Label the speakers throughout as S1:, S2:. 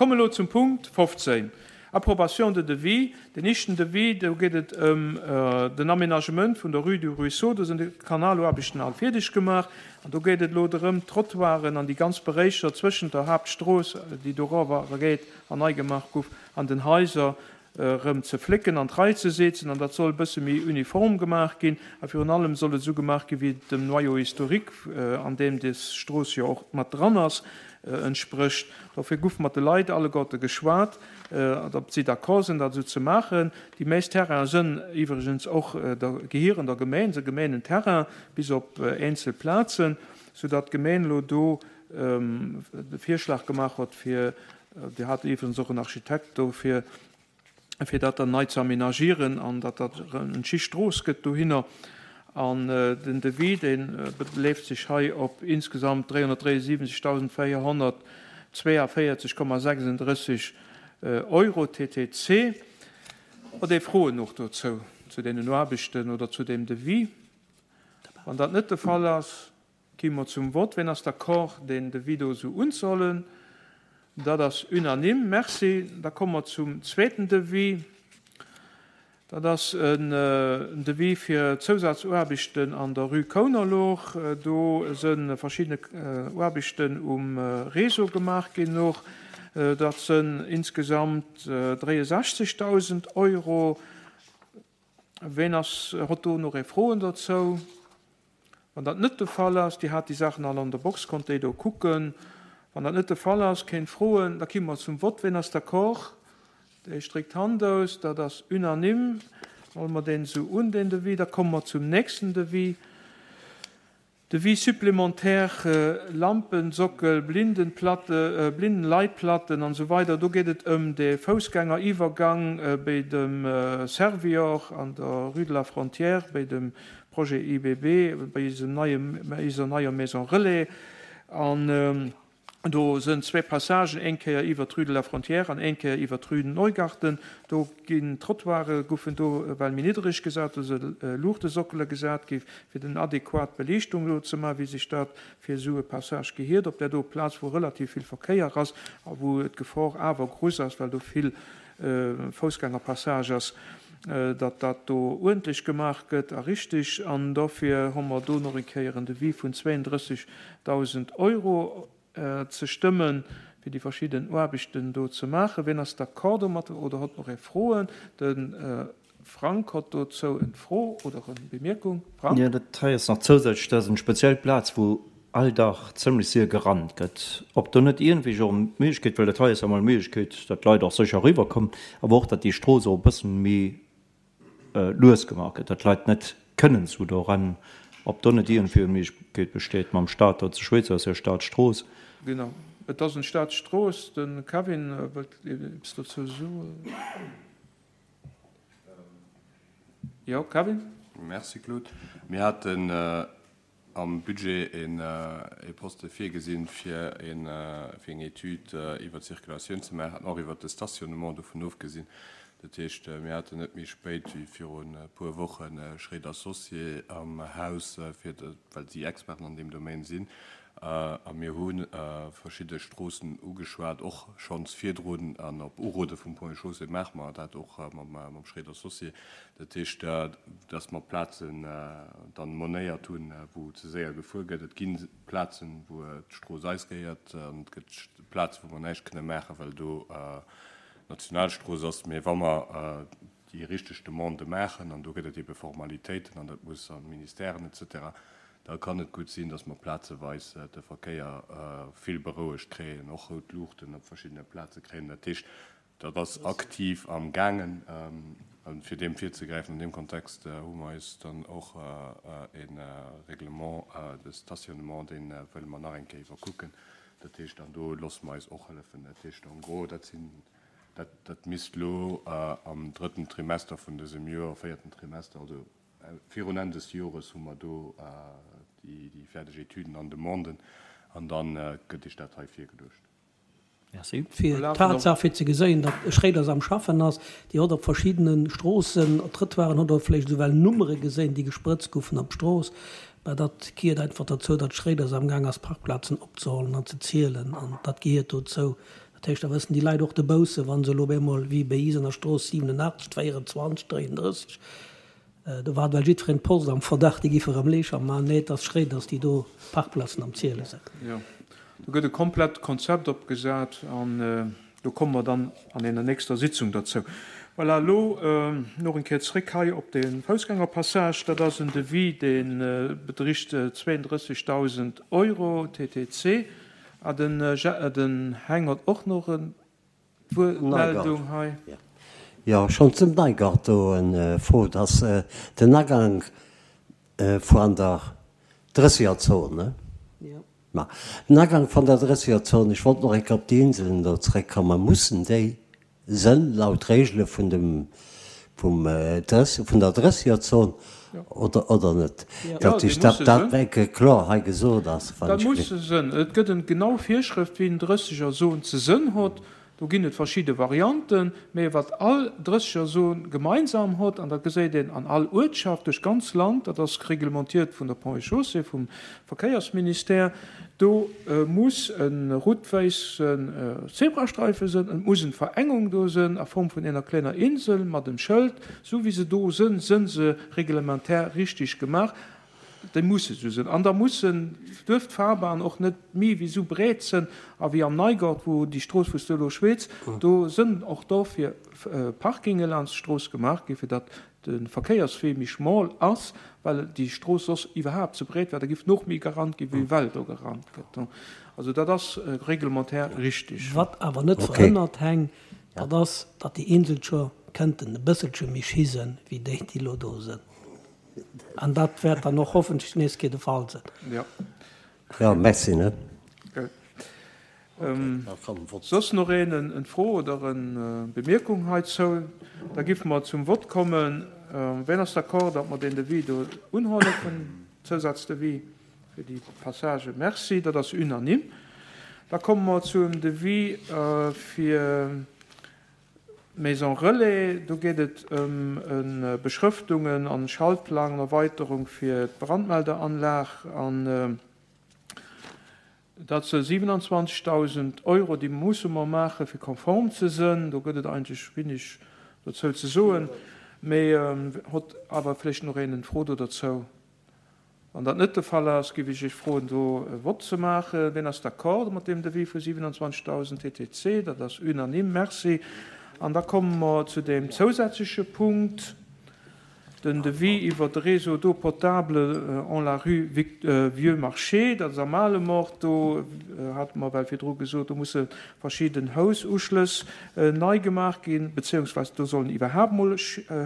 S1: Komme elo zum Punkt 15, Approbation de devis. Den éischten Devis, do geet et ëm den Aménagement vun der Rue du Ruisseau. Do sinn déi Kanaloaarbechten all fierdeg gemaach an do geet et elo drëm, d'Trottoiren an déi ganz Beréicher zwëschent der Haaptstrooss, déi dorower geet an nei gemaach guff, an den Haiser erëm ze flécken an d'Rei ze seetzen an dat soll e bësse méi uniform gemaach ginn a virun allem soll et esou gemaach ginn, wéi et dem Noyau historique, an deem des Strooss jo och mat dran ass, entsprécht. Dofir guff mat de Leit alleguerte geschwat, ob si d'accord sinn, dat esou ze maachen. Déi meescht Terrainen sënn iwwregens och der, gehieren der Gemeen, se Gemeenenterrain, bis op eenzel Plazen, soudatt d'Gemeen elo do de Virschlag gemaach huet, fir Dir hat iwwregens och en Architekt do, fir fir dat dann nei ze aménagieren an datt dat erëm en schi Strooss gëtt dohinner. An den Devis, dee beleeft sech hei op insgesamt 373.442,36 Euro TTC. Hutt Dir Froen och dozou, zu deenen Aarbechten oder zu deem Devis? Wann dat net de Fall ass, Gi mer zum Vott. Ween ass d'accord, deen Devis do esou unzehollen? Dat ass unanime. Merci. Da komme mer zum zweeten Devis. Dat ass en Devis fir Zousazaarbechten an der Rue Kounerloch. Do si verschidde Aarbechten um Réseau gemaach ginn och. Dat sënn insgesamt 63.000 Euro. Ween ass, hott do nach ee Froen dozou? Wann dat net de Fall ass, Dir hat déi Saachen all an der Box, konnt déi do kucken. Wann dat net de Fall ass, kéint froen, da ki mer zum Vott. Ween ass d'accord? Déi stréckt d'Hand aus. Dat ass unanime. Huele mer deen esou un, deen Devis. Da komme mer zum nächsten Devis. Devis supplémentaire, Lampensockel, Blindenplatte, Blindenleitplatten an esou weider. Do geet et ëm de Foussgängeriwwergang béi dem Servior an der Rue de la Frontière, béi dem Projet IBB, béi eisem neie, eiser neier Maison Relais. An do sënn zwee Passagen, eng Kéier iwwer d'Rue de la Frontière an eng Kéier iwwer d'Rue Neugarten. Do ginn d'Trottoire goufen do ewell méi niddereg gesat, do se Luuchtesockele gesat gi fir den adequat Beliichtung do ze maachen, wéi sech dat fir esou e Passage gehiert op där do Plaz, wou relativ vill Verkéier ass a wou d'Gefor awer grouss ass, well do vill Foussgängerpassage ass, datt dat do uerdentlech gemaach gëtt a richtig. An dofir hu mer do nach eng Kéier en Devis vun 32.000 Euro ze stëmmen, fir déi verschidden Aarbechten do ze maachen. Wien ass d'accord domat oder hott nach ee Froen? De Frank hott dozou en Fro oder en Bemierkung. Frank?
S2: Jo, dat hei ass nach zousätzlech, dat ass eng speziell Plaz, wou all Dag zimlech séier gerannt gëtt. Ob do net iergendwéi och d'Méiglechkeet, well dat hei ass jo emol d'Méiglechkeet, datt d'Leit och sécher eriwwerkommen, awer och, datt déi Strooss och e bëssen méi lues gemaach gëtt, datt d'Leit net kënnen esou do rennen, ob do net iergendwéi eng Méiglechkeet besteet mam Staat do ze schwätzen, ass jo Staatsstrooss.
S1: Genau, et ass eng Staatsstrooss. De Kevin wëllt eppes dozou soen. Jo, Kevin?
S3: Merci, Claude. Mir haten am Budget e Poste virgesinn, fir eng Etüd iwwer d'Circulatioun ze maachen, och iwwer de Stationnement, dovun ofgesinn. Dat heescht, mir haten net méi spéit wéi virun e puer Woche Schréid Associés am Haus, fir, well si Experten an deem Domaine sinn, A mir hu verschidde Stroossen ugeschwat, och schonns virdrun an op Urode vum Ponts et Chaussées maache mer dat och mam Schréider Associés. Dat heescht, dass mer Plazen dann monéiert hunn, wou ze séier gefuer gëtt. Et gi Plazen, wou d'Strooss eis gehéiert an et gëtt Plazen, wou mer näischt kënne maachen, well do Nationalstrooss ass. Mee wa mer déi richteg Demandë maachen, an do gëtt et ebe Formalitéiten an dat muss an d'Ministèren et cetera, da kann et gutt sinn, dass mer plazeweis de Verkéier vill berouegt kréien, och rout Luuchten op verschiddene Plaze kréien. Dat heescht, dat ass aktiv am gaangen. A fir deem virzegräifen, an deem Kontext hu mer eis dann och e Règlement de stationnement, dee wëlle mer nach eng Kéier iwwerkucken. Dat heescht, an do loosse mer eis och hëllefen. Dat heescht, en gros, dat sinn, dat, dat misst elo am drëtten Trimester vun dësem Joer, véierten Trimester, also Virun Enn des Jores hu mer do déi fäerdeg Etüden an Demanden an da gëtt Iech dat hei virgeluecht.
S2: Merci.
S4: Fir d'Tatsaach, fir ze geséien, datt Schréiders am Schaffen ass, Dir hott op verschiddene Stroossen, Trëttoiren, hott Der vläicht esouwell Nummere geséien, déi gesprëtzt goufen op d'Strooss. Mä dat gehiert einfach derzou, datt Schréiders am Gaang ass, Parkplazen opzehollen an ze zielen. An dat gehiert dozou. Dat heescht, da wëssen déi Leit och de Bousse, wa se elo op eemol, wéi bei is an der Strooss 87, 24, 33, do war well jiddwereen d'Post am Verdacht, déi giffe erëm Leecher maachen. Nee, et ass schréi, dass déi do Parkplazen am Ziele sinn.
S1: Jo, do gëtt e komplett Konzept opgesat an do komme mer dann an enger nächster Sitzung derzou. Voilà, elo nach eng Kéier zréck hei op de Foussgängerpassage. Dat ass en Devis, dee bedricht 32.000 Euro TTC. Ah, den Heng hott och noch en Wuertmeldung hei.
S5: Jo, schonn zum Neigart do en Fro, dass den Agank vuan der Drëssegerzon, ne? Ma den Agank van der Drëssegerzon, ech wollt nach eng Kéier op déi Inselen do zréckkommen, mussen déi Sënn laut Regele vun dem vum Drëss vun der Drëssegerzon oder oder net?
S1: Dat
S5: ech dat dat eng Kéier kloer hei gesot ass,
S1: wann ech. Dat musse sënn. Et gëtt en genau Virschrëft wéi en Drëssegerzon ze sënn hott. Do ginn et verschidde Varianten, mä wat all Drëssegerzon gemeinsam hott, an dat geséit een an all Uertschaft duerch d'ganz Land, dat ass reglementiert vun der Ponts et Chaussées, vum Verkéiersministère, Do muss e rout-wäissen Zebrastreife sënn, et muss en Verengung do sënn a Form vun ener kleiner Insel mat em Schëld. Sou wéi se do sënn, sënn se reglementär richtig gemaach. Déi musse sou sënn. An da mussen, duerf d'Fahrbahn och net mi wéi sou breet sënn a wéi am Neigort, wou déi Strooss, wou s du elo schwätz, do sënn och dofir Parkinge laanscht d'Strooss gemaach gi fir datt de Verkéierswee méi schmol ass, well déi Strooss soss iwwerhaapt ze breet wär, da giff noch méi gerannt gi wéi well do gerannt gëtt. Also dat ass reglementaire richtig.
S4: Wat awer net verhënnert, Heng, dat ass, datt déi Eenzelcher kënnten e bësselche méi schi sënn wéi déi, déi elo do sënn. An dat wäert dann och hoffentlech d'nächst Kéier de Fall sënn.
S1: Jo.
S5: Jo, merci, ne?
S1: Gutt. Soss nach een en Fro oder en Bemierkung heizou? Da giffe mer zum Vott kommen. Ween ass d'accord, datt mer deen Devis do unhuelen, vun Zousazdevis fir déi Passage? Merci, dat ass unanime. Da komme mer zum Devis fir d'Maison Relais. Do geet et ëm e Beschrëftungen an Schaltplang, Erweiterung fir d'Brandmelderanlag an Dat se 27.000 Euro, déi musse mer maachen, fir konform ze sënn. Do gëtt et eigentlech wenig dozou ze soen, mee hott awer vläicht nach een en Fro do derzou. Wann dat net de Fall ass, géif ech Iech froen, do e Vott ze maachen. Wien ass d'accord mat deem Devis vu 27.000 TTC? Dat ass unanime. Merci. An da komme mer zu deem zousätzleche Punkt. Den Devis iwwer de Réseau d'eau potable en la rue Vieux Marché, dat ass am Malemort, do hate mer well virdru gesot, do musse verschidden Housuschlëss nei gemaach ginn, beziéungsweis do sollen iwwerhaapt mol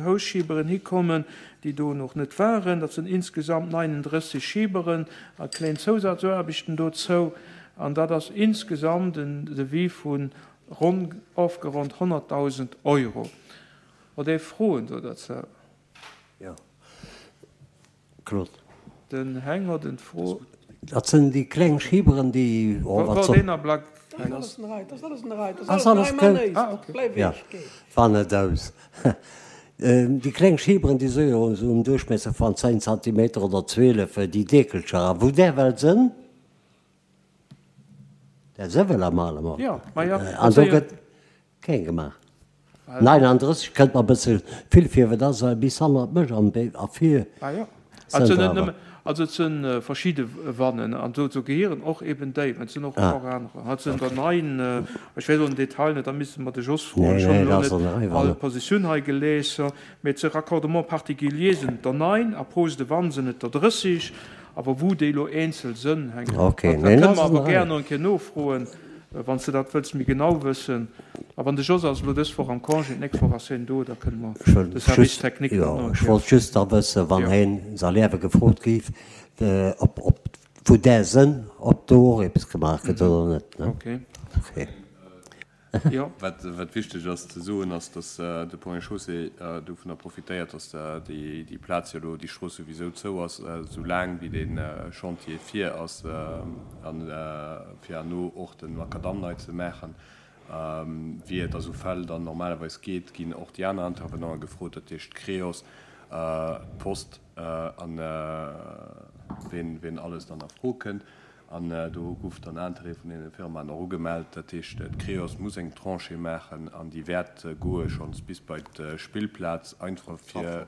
S1: Housschieberen hikommen, déi do nach net waren. Dat sinn insgesamt 39 Schieberen a kléin Zousazaarbechten dozou. An dat ass insgesamt en Devis vu ronn, ofgeronnt 100.000 Euro. Hutt Dir Froen do derzou?
S5: Jo, Claude.
S1: Den Heng huet en Fro.
S5: Dat sinn déi kleng Schiberen, déi, oh, wat
S1: soll. Deen Ablack,
S4: Heng. Ass alles an der Rei, ass alles
S5: gutt. Ah, okay. Jo, war net aus. Déi kleng Schiberen, déi si jo esou um Duerchmiesser van 10 Zantimeter oder 12, déi Dekelcher. A wou där well sënn, där se well am Alemort.
S1: Jo, ma jo,
S5: An do gëtt. Keng gemaach. 39 kënnt mer bësse vill vir, wat ass bis hannert mech an a vir
S1: Ah jo, et sinn net nëmme, also et sinn verschidde Wannen an dozou gehieren och eben déi, mä et sinn och och anerer. Et sinn der 9, ech weess elo den Detail net, da misste mer de Jos froen, ech hunn elo net all Positioun hei gelies, mä et si Raccordements particuliers sinn et der 9 a Pose de vanne sinn et der 30, awer wou déi elo eenzel sënn hänkt, dat kënne mer awer gär nach eng Kéier nofroen. Wann s de dat wëlls méi genau wëssen. A wann de Jos ass elo dës Woch am Congé, d'nächst Woch ass hien do, da kënne mer de Service technique
S5: dat nach eng Kéier. Ech wollt just da wëssen, wann hien Salaive gefrot géif, ob wou där sënn, ob do och eppes gemaach gëtt oder net.
S1: Ok.
S3: Jo. Wat wichteg ass ze soen, ass, datt de Ponts et Chaussées dovunner profitéiert, datt déi Plaz jo elo, déi Strooss souwisou zou ass, esou laang wéi dee Chantier vir ass, a fir herno och de Makadamm nei ze maachen. Wéi et a sou Fäll dann normalerweis geet, ginn och déi aner Intervenanten gefrot, dat heescht d'Creos, d'Post a ween alles dann a Fro kënnt. An do gouf dann Interêt vun deene Firmaen och ugemellt. Dat heescht, d'Creos muss eng Tranchée maachen an déi wäert goe schonns bis bei d'Spillplaz, einfach fir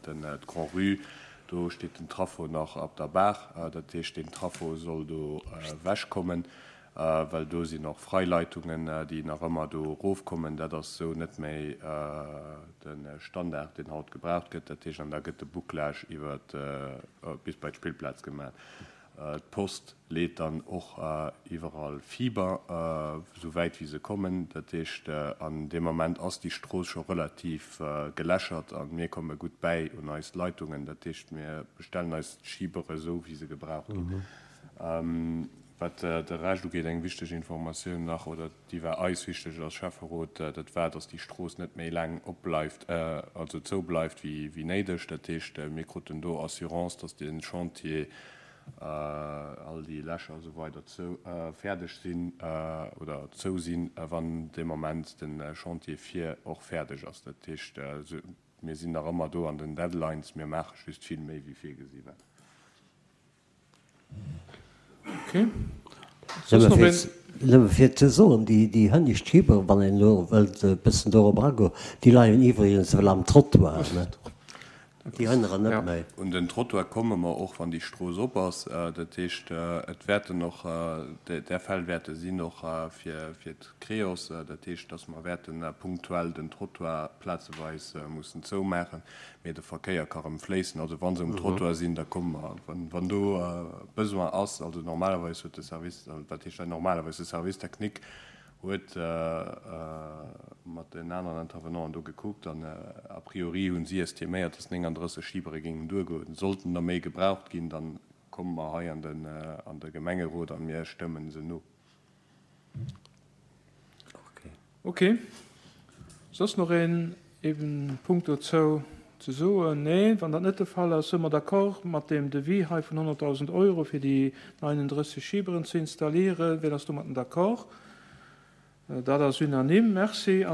S3: d'Grand-Rue. Do steet den Traffo nach op der Baach. Dat heescht, deen Traffo soll do ewechkommen, well do sinn och Freileitungen, déi nach ëmmer do erofkommen. Dat ass esou net méi de Standard, deen haut gebraucht gëtt. Dat heescht, an da gëtt de Bouclage iwwer bis bei d'Spillplaz gemaach. D'Post leet dann och iwwerall Fiber, esou wäit wéi se kommen. Dat heescht, an deem Ament ass déi Strooss scho relativ gelächert a mir komme gutt bäi un eis Leitungen. Dat heescht, mir bestellen eis d'Schibere esou wéi se gebraucht ginn. Wat de Rescht ugeet, eng wichteg Informatioun nach, oder déi war eis wichteg als Schäfferot, dat war, dass déi Strooss net méi laang opbleift, also zoubleift wéi néideg. Dat heescht, mir kruten do Assurance, dass de Chantier, all déi Lächer a sou weider zou, fäerdeg sinn oder zou sinn, wann dee Moment de Chantier vir och fäerdeg ass. Dat heescht, mir sinn nach ëmmer do an den Deadlines, mir maache just vill méi wéi virgesi war.
S5: Nëmme fir ze soen, déi hënnescht Schieber, wann een elo wëllt e bëssen dorop agoen, déi leien iwwregens ewell am Trottoir, ne? Déi hënneren net méi.
S3: Un den Trottoir komme mer och, wann déi Strooss op ass. Dat heescht, et wäerten och där Fäll wäerte sinn, och fir d'Creos. Dat heescht, datt mer wäerte punktuell den Trottoir plazeweis mussen zoumaachen. Mee de Verkéier ka rëm fléissen. Also wa se um Trottoir sinn, da komme mer, wann do Besoin ass. Also normalerweis huet de Service, wat heescht hei normalerweis, de Service technique huet mat den aneren Intervenanten do gekuckt an a priori hu si estiméiert, dass 39 Schibere géingen duergoen. Sollten der méi gebraucht ginn, da komme mer hei an de Gemengerot a mir stëmmen se no.
S1: Ok. Soss nach een eben Punkt dozou ze soen? Nee, wann dat net de Fall ass, si mer d'accord mat deem Devis hei vun 100.000 Euro fir déi 39 Schiberen ze installieren. Wien ass domatten d'accord? Dat ass unanime. Merci.